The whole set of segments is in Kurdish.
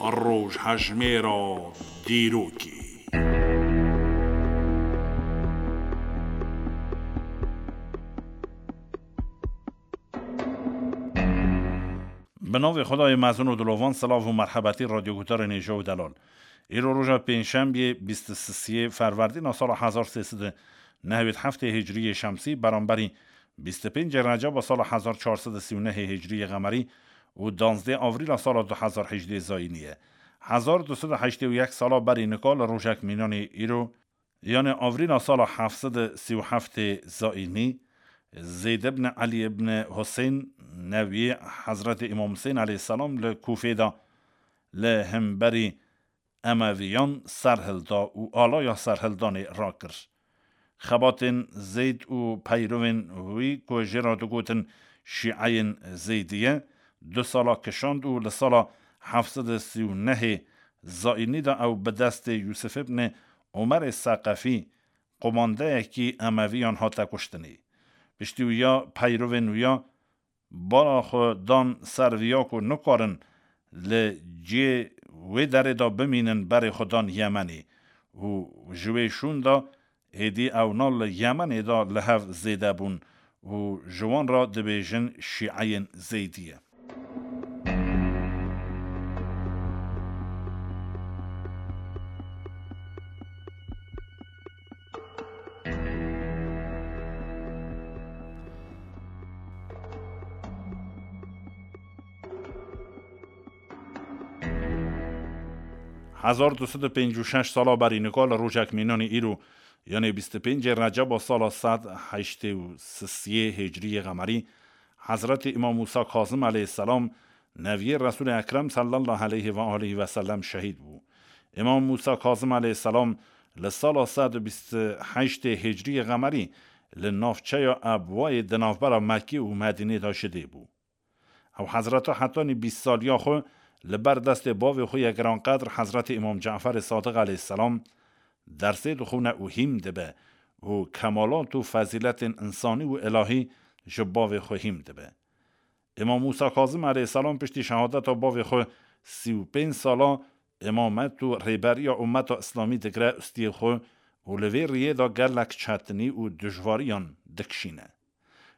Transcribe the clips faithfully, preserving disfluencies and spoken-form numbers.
Rojhejmêra dîrokê. Bi navê Xwedayê mezin û dilovan, silav û merhebetî radyoguhdarên hêja û delal. Îro roja pêncşembiyê, bîst û sisiyê Ferwerdîna sala hezar sê sed û nehwêd heftê Hicriyê Şemsî, beramberî bîst û pêncê Receba sala hezar çar sed û sî û nehê Hicriyê Qemerî û danzdê Avrîla sala du hezar hejdê Zayînî ye. Hezar du sed û heştê û yek sala berî nika li rojek mînanê îro, yanê Avrîla sala heft sed û sî û heftê Zayînî, Zeyd ibn Elî ibn Husên, neviyê Hezretê Îmam Husên aleyhisselam, li Kûfê de li hemberî Emeviyan serhilda û alaya serhildanê rakir. Xebatên Zeyd û peyrovên wî, ku jê re digotin Şîeyên Zeydiye, du sala kişand û li sala heft sed û sî û nehê Zayînî de ew bi destê Yûsif ibn Omerê Seqefî, qumandeyekî Emeviyan, hate kuştinê. Piştî wiya peyrovên wiya bala xwe dan ser viya ku nikarin li cihê wê derê de bimînin, berê xwe dan Yemenê û ji wê şûn de êdî ewna li Yemenê de li hev zêde bûn û ji wan re dibêjin Şîeyên Zeydiye. Hezar du sed û pêncî û şeş sala berî nika li rojek mînanî îro, yanê bîst û pêncê Receba sala sed heştê û sisiyê Hicriyê Qemerî, Hezretî Îmam Mûsa Kazim aleyhisselam, neviyê Resûlê Ekrem sallallahu aleyhi ve aleyhi ve sellem şehîd bû. Îmam Mûsa Kazim aleyhisselam li sala sed û bîst û heştê Hicriyê Qemerî li navçeya Ebwayê di navbera Mekkê û Medînê de ji dê bû. Ew Hezreta hetanî bîst saliya xwe li ber destê bavê xwe yê giranqedr Hezretê Îmam Caferê Sadiq aleyhisselam dersê dixwine û hîm dibe û kemalat û fezîletên însanî û îlahî ji bavê xwe hîm dibe. Îmam Mûsa Kazim aleyhisselam piştî şehadeta bavê xwe sî û pênc sala îmamet û rêberiya ummeta Îslamî digire ustiyê xwe û li vê riyê de gelek çetinî û dijwariyan dikişîne.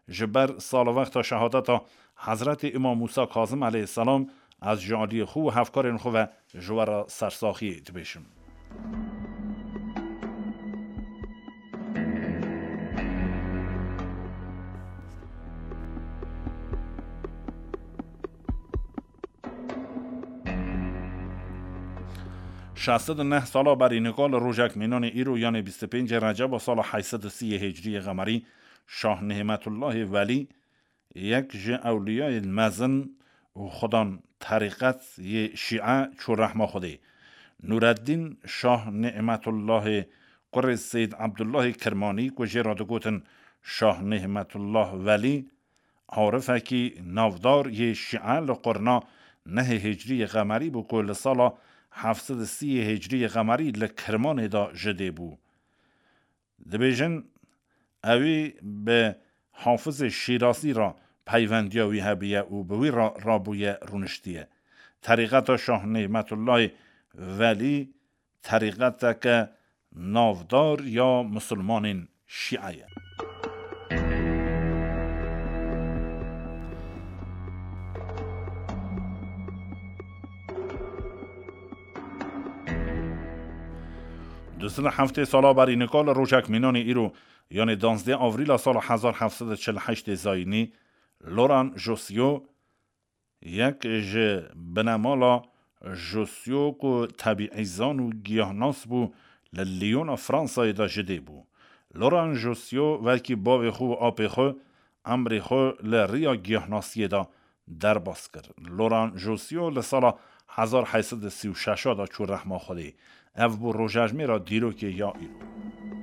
Ji ber salwexta şehadeta Hezretê Îmam Mûsa Kazim aleyhisselam, ez ji aliyê xwe û hevkarên xwe ve ji we re sersaxiyê dibêjim. Şeş sed û neh sala berî nika li rojek mînanê îro, yanê bîst û pêncê Receba sala heyt sed û sî yê Hicriyê Qemerî, Şah Nîmetullahê Welî, yek ji ewliyayên mezin û xudan terîqet yê Şîe, çû rehma Xwedê. Nûreddîn Şah Nîmetullahê kurê Seyd Ebdullahê Kirmanî, ku jê re digotin Şah Nîmetullah Welî, arifekî navdar yê Şîe, li qurna nehê Hicriyê Qemerî bû, ku li sala heft sed û sî yê Hicriyê Qemerî li Kirmanê de ji dê bû. Dibêjin, ewî bi Hafizê Şîrazî re peyvendiya wî hebiye û bi wî re rabûye, rûniştiye. Terîqeta Şah Nîmetullahê Welî terîqeteke navdar ya misilmanên Şîe ye. Du sed û heftê sala berî nika li rojek mînanê îro, yanê danzdê Avrîla sala hezar heft sed û çil û heştê Zayînî, Laurent Jossiot, yek ji binemala Jossiot ku tebîîzan û giyahnas bû, li Lyona Fransayê de ji dê bû. Laurent Jossiot wekî bavê xwe û apê xwe emrê xwe li riya giyahnasiyê de derbas kir. Laurent Jossiot li sala hezar heyt sed û sî û şeş de çû rehma Xwedê. Ev bû rojejmêra dîrokê ya îro.